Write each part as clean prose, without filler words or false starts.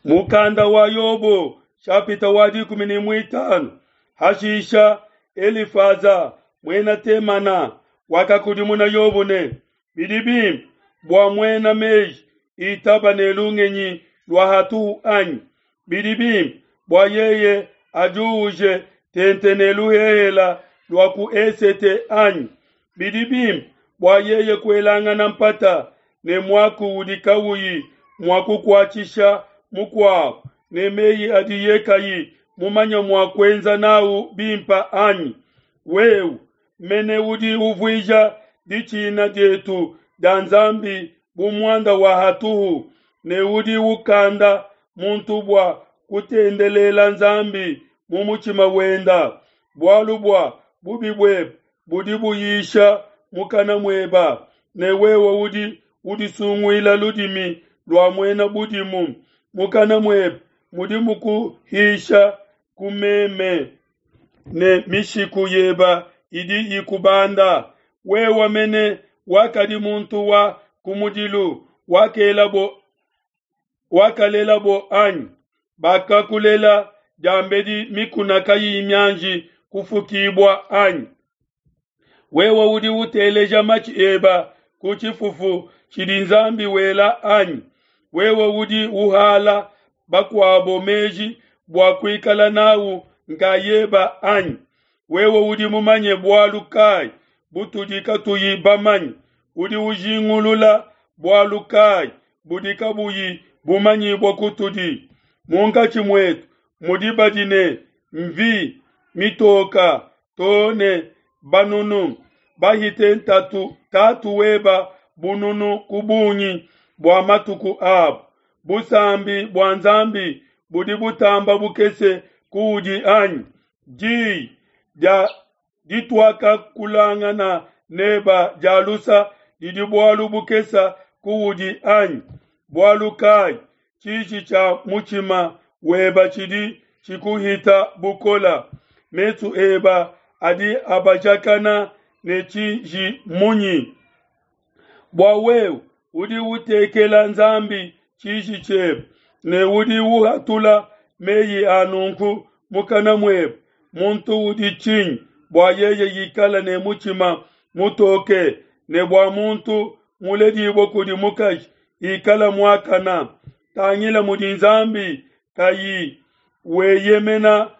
Mukanda wa Yobo shapita wa 15. Hashisha Elifaza muena Temana wakakudimuna Yobo ne, bidi bimpe bua muena meji itaba ne lungenyi lua hatuhu anyi? Bidi bimpe bua yeye ajuuje tente ne luhehela lua ku esete anyi? Bidi bimpe bua yeye kuelangana mpata ne muaku udi kawuyi mua kukuatshisha mukuabo, ne meyi adiye kayi mumanye mua kuenza nawu bimpe anyi? Wewe mene udi uvuija ditshina dietu dia Nzambi bu muanda wa hatuhu, ne udi ukanda muntu bua kutendelela Nzambi mu mutshima wenda. Bualu bua bubi buebe budi buyisha mukana mueba, ne wewe udi udisunguila ludimi lua muena budimu. Mukana muebe mudi mukuhisha kumeme, ne mishiku yeba idi ikubanda. Wewe mene wakadi muntu wa kumudilu, wakalelabo anyi? Bakakulela diambedi mikuna kayiyi mianji kufukibua anyi? Wewe udi uteleja matshi eba ku tshifufu tshidi Nzambi wela anyi? Wewe udi uhala bakuabo meji bua kuikala nawu nkayeba anyi? Wewe udi mumanye bualu kayi butudi katuyi bamanye? Udi ujingulula bualu kayi budi kabuyi bumanyibua kutudi? Munkatshi muetu mudi badi ne mvi mitoka too ne banunu, bahite ntatu tatu weba bununu ku bungi bua matuku abo. Busambi bua Nzambi budi butamba bukese kuudi anyi? Diyi dia dituakakulangana neba dia lusa didi bualu bukesa kuudi anyi? Bualu kayi tshiji tshia mutshima weba tshidi tshikuhita bukola? Mesu eba adi abajakana ne tshiji munyi? Bua wewe udi utekela Nzambi tshiji tshiebe, ne udi uhatula meyi a nunku mukana muebe. Muntu udi tshinyi bua yeye ikala ne mutshima mutoke, ne bua muntu muledibue kudi mukaji ikala muakana? Tangila mudi Nzambi kayi weyemena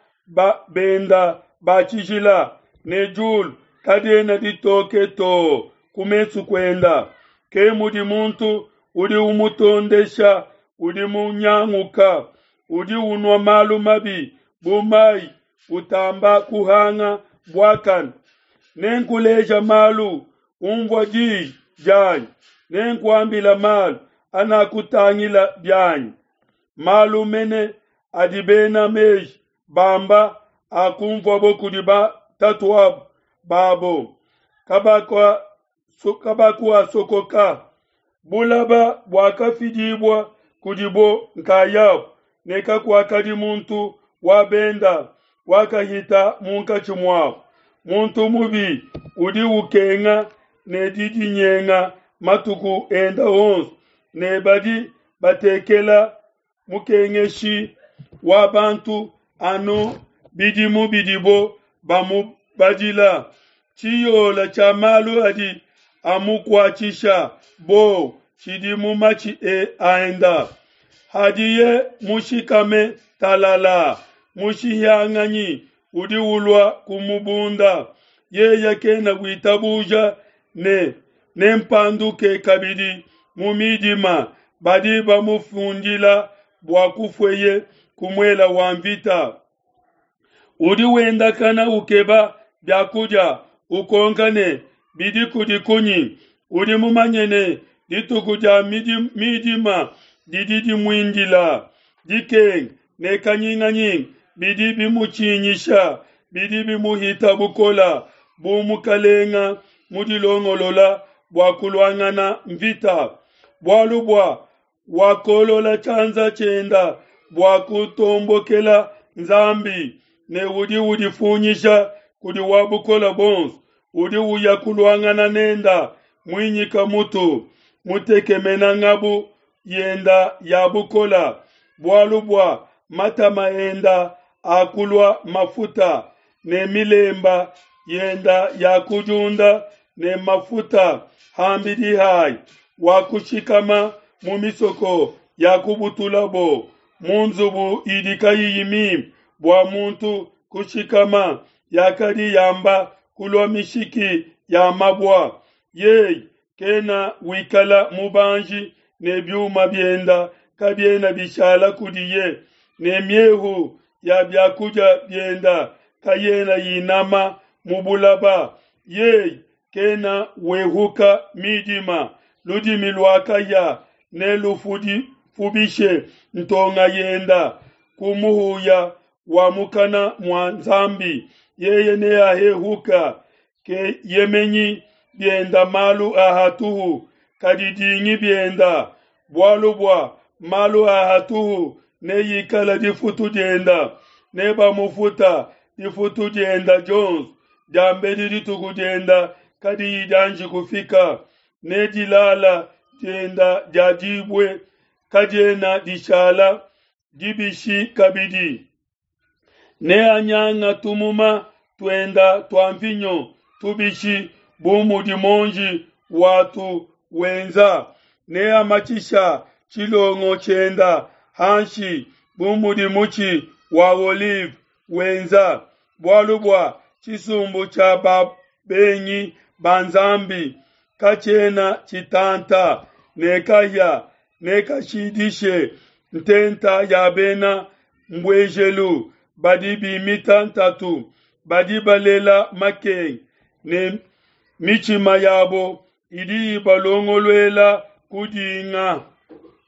benda ba tshijila, ne diulu kadiena ditoke too ku mesu kuenda. Ke mudi muntu udi umutondesha, udi munyanguka, udi unua malu mabi bu mayi, utamba kuhanga buakane. Nenkuleja malu, umvua diyi dianyi, nenkuambila malu anakutangila bianyi. Malu mene adi bena meji bamba akumvuabo kudi batatuabo babo, kabakuasokoka. Bulaba buakafidibua kudibo nkayabo, ne kakuakadi muntu wa benda wakahita munkatshi muabo. Muntu mubi udi ukenga ne didinyenga matuku enda onso, ne badi batekela mukengeshi wa bantu anu bidimu bidibo bamubadila. Tshiyola tshia malu adi amukuatshisha bo tshidi mu matshi aenda. Hadiye mushikame talala, mushihianganyi udi ulua kumubunda. Yeye kena witabuja ne nempanduke kabidi mu midima. Badi bamufundila bua kufueye ku muela wa mvita. Udi wendakana ukeba biakudia, ukonka ne, bidi kudi kunyi? Udi mumanye ne dituku dia midima didi dimuindila. Dikenga ne kanyinganyinga bidi bimutshinyisha, bidi bimuhita bukola bu mukalenga mudilongolola bua kuluangana mvita. Bualu bua wakolola tshianza tshienda bua kutombokela Nzambi, ne udi udifunyisha kudi wa bukole buonso, udi uya kuluangana nenda muinyika mutu, mutekemena ngabu yenda ya bukola. Bualu bua matama enda akulua mafuta, ne milemba yenda yakudiunda ne mafuta ham'bidi hai. Wakushikama mu misoko yakubutulabo, mu nzubu idi kayiyi mimpe bua muntu kushikama, yakadi yamba kulua mishiki ya mabua. Yeye kena wikala mubanji ne biuma bienda kabiena bishala kudiye, ne miehu ya biakudia bienda kayena inama mu bulaba. Yeye kena wehuka midima, ludimi lua kahia nelufubishe ntonga yenda. Ku muhuya wa mukana mua Nzambi yeye neahehuka. Keyemenyi bienda malu a hatuhu, kadidingi bienda, bualu bua malu a hatuhu neikala difutu dienda. Nebamufuta difutu dienda dionso diambedi dituku dienda kadiyi dianji kufika, ne dilala dienda dia dibue kadiena dishala dibishi kabidi. Neanyanga tumuma tuenda tua mvinyo tubishi bu mudi muonji watu wenza, neamatshisha tshilongo tshienda hanshi bu mudi mutshi wa olive wenza. Bualu bua tshisumbu tshia babengi ba Nzambi katshiena tshitanta, ne kahia nekashidishe ntenta ya bena mbuejelu. Badi bimita ntatu, badi balela makenga, ne mitshima yabo idi ibalongoluela kudinga.